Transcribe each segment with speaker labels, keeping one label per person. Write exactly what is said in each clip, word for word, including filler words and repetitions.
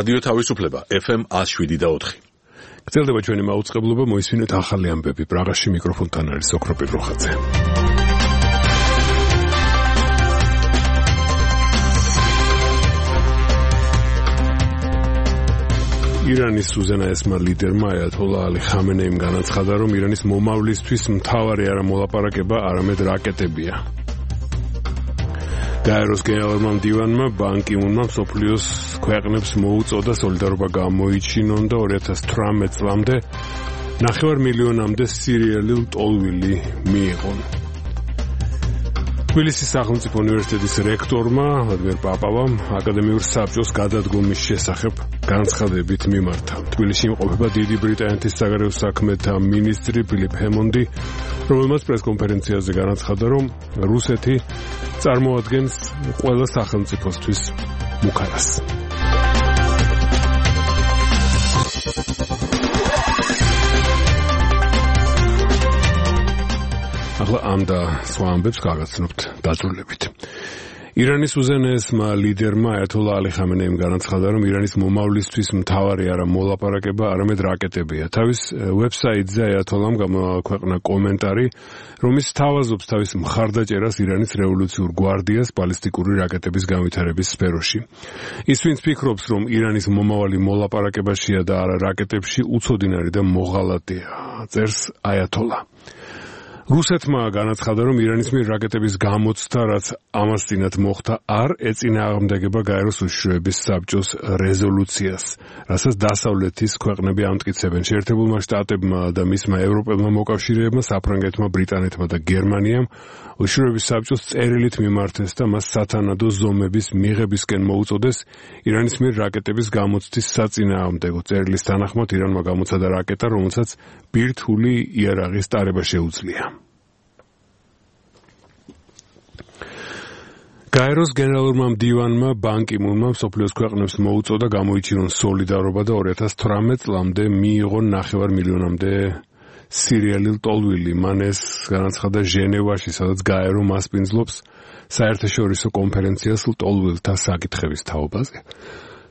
Speaker 1: რადიო თავისუფლება F M one oh seven და four.
Speaker 2: გრძელდება ჩვენი მაუწყებლობა, მოისმინეთ ახალი ამბები. პრაღაში მიკროფონთან არის ოქროპირ როხაძე. ირანის უზენაესმა ლიდერმა აიათოლა ალი ხამენეიმ განაცხადა, რომ ირანის მომავლისთვის მთავარი არა მოლაპარაკება, არამედ რაკეტებია. გაეროს გენერალურმა მდივანმა ბან კი მუნმა მსოფლიოს ქვეყნებს მოუწოდა სოლიდარობა გამოიჩინონ და two thousand eighteen წლამდე ნახევარ მილიონამდე სირიელი ლტოლვილი მიიღონ. თბილისის სახელმწიფო უნივერსიტეტის რექტორმა ვლადიმერ პაპავამ აკადემიურ საბჭოს გადადგომის შესახებ განცხადებით მიმართა. თბილისში იმყოფება დიდი ბრიტანეთის საგარეო საქმეთა მინისტრი ფილიპ ჰემონდი, რომელმაც პრესკონფერენციაზე განაცხადა, რომ რუსეთი წარმოადგენს ყველა სახელმწიფოსთვის მუქარას. ახლა ამ და სხვა ამბებს გავაცნობთ დაძრულებით. ირანის უზენაესმა ლიდერმა აიათოლა ალი ხამენეიმ განაცხადა, რომ ირანის მომავლისთვის მთავარი არა მოლაპარაკება, არამედ რაკეტებია. თავის ვებსაიტზე აიათოლამ გამოაქვეყნა კომენტარი, რომლის თავაზობს თავის მხარდაჭერას ირანის რევოლუციურ გვარდიას ბალისტიკური რაკეტების განვითარების სფეროში. ის ვინც ფიქრობს, რომ ირანის მომავალი მოლაპარაკებაშია და არა რაკეტებში, უცოდინარი და მოღალატეა, წერს აიათოლა. რუსეთმა განაცხადა, რომ ირანის მიერ რაკეტების გამოცდა, რაც ამას წინათ მოხდა, არ ეწინააღმდეგება გაეროს უშიშროების საბჭოს რეზოლუციას, რასაც დასავლეთის ქვეყნები ამტკიცებენ. შეერთებულმა შტატებმა და მისმა ევროპელმა მოკავშირეებმა, საფრანგეთმა, ბრიტანეთმა და გერმანიამ უშიშროების საბჭოს წერილით მიმართეს და მას სათანადო ზომების მიღებისკენ მოუწოდეს ირანის მიერ რაკეტების გამოცდის საწინააღმდეგო. წერილის თანახმად ირანმა გამოცადა რაკეტა, რომელსაც ბირთვული იარაღის ტარება შეუძლია. გაეროს გენერალურმა მდივანმა ბან კი მუნმა მსოფლიოს ქვეყნებს მოუწოდა გამოიჩინონ სოლიდარობა და two thousand eighteen წლამდე მიიღონ ნახევარ მილიონამდე სირიელი ლტოლვილი. მან ეს განაცხადა ჟენევაში, სადაც გაერო მასპინძლობს საერთაშორისო კონფერენციას ლტოლვილთა საკითხების თაობაზე.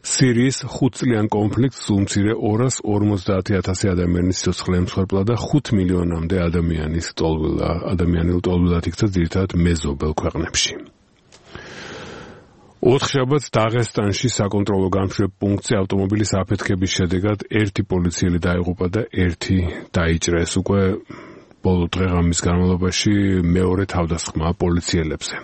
Speaker 2: სირიის ხუთწლიან კონფლიქტს სულ მცირე two hundred forty thousand ადამიანის სიცოცხლე ემსხვერპლა და five მილიონამდე ადამიანის ლტოლვილა ადამიანი ლტოლვილად იქცა ძირითადად მეზობელ ქვეყნებში. ოთხშაბათს დაღესტანში საკონტროლო განმშვიდ პუნქტზე ავტომობილის აფეთქების შედეგად ერთი პოლიციელი დაიღუპა და ერთი დაიჭრეს. უკვე ბოლო დღე-ღამის განმავლობაში მეორე თავდასხმა პოლიციელებზე.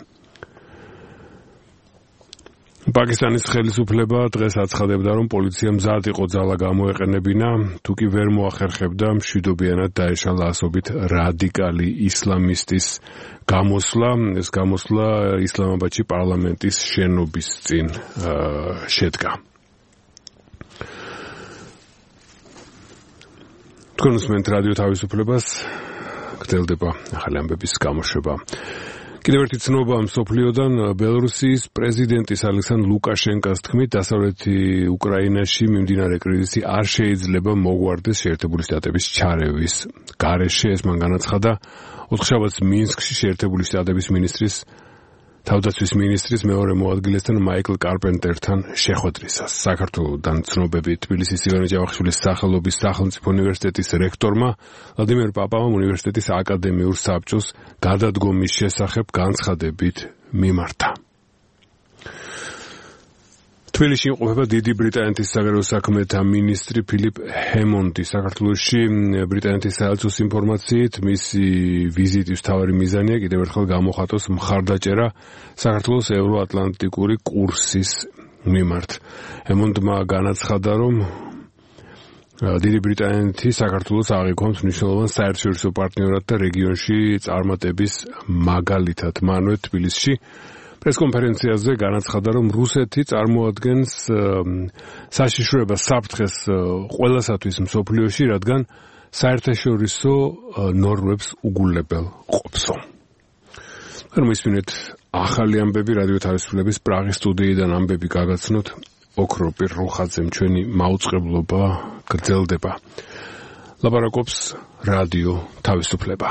Speaker 2: პაკისტანის ხელისუფლება დღეს აცხადებდა, რომ პოლიცია მზად იყო ძალა გამოეყენებინა, თუ კი ვერ მოახერხებდა მშვიდობიანად დაეშალა ასობით რადიკალი ისლამისტის გამოსვლა. ეს გამოსვლა ისლამაბადში პარლამენტის შენობის წინ შედგა. თქვენ უსმენთ რადიო თავისუფლებას, გრძელდება ახალი ამბების გამოშვება. კიდევ ერთი ცნობა მსოფლიოდან. ბელორუსიის პრეზიდენტის ალექსანდრ ლუკაშენკოს თქმით, დასავლეთი უკრაინაში მიმდინარე კრიზისი არ შეიძლება მოგვარდეს შეერთებული შტატების ჩარევის გარეშე. ეს მან განაცხადა ოთხშაბათს მინსკში შეერთებული შტატების მინისტრის თავდაცვის მინისტრის მეორე მოადგილესთან მაიკლ კარპენტერთან შეხვედრისას. საქართველოდან ცნობები. თბილისის ივანე ჯავახიშვილის სახელობის სახელმწიფო უნივერსიტეტის რექტორმა ვლადიმერ პაპავამ უნივერსიტეტის აკადემიურ საბჭოს გადადგომის შესახებ განცხადებით მიმართა. თბილისში იმყოფება დიდი ბრიტანეთის საგარეო საქმეთა მინისტრი ფილიპ ჰემონდი. საქართველოში ბრიტანეთის საელჩოს ინფორმაციით მისი ვიზიტის მთავარი მიზანია კიდევ ერთხელ გამოხატოს მხარდაჭერა საქართველოს ევროატლანტიკური კურსის მიმართ. ჰემონდმა განაცხადა, რომ დიდი ბრიტანეთი საქართველოს აღიქვამს მნიშვნელოვან საერთაშორისო პარტნიორად და რეგიონში წარმატების მაგალითად. მანვე თბილისში პრესკონფერენციაზე განაცხადა, რომ რუსეთი წარმოადგენს საშიშროებას საფრთხეს ყველასათვის მსოფლიოში, რადგან საერთაშორისო ნორმებს უგულებელ ყოფსო. მოისმინეთ ახალი ამბები რადიო თავისუფლების პრაღის სტუდიიდან ამბები გაგაცნოთ ოქროპირ როხაძემ. ჩვენი მაუწყებლობა გრძელდება. ლაპარაკობს რადიო თავისუფლება.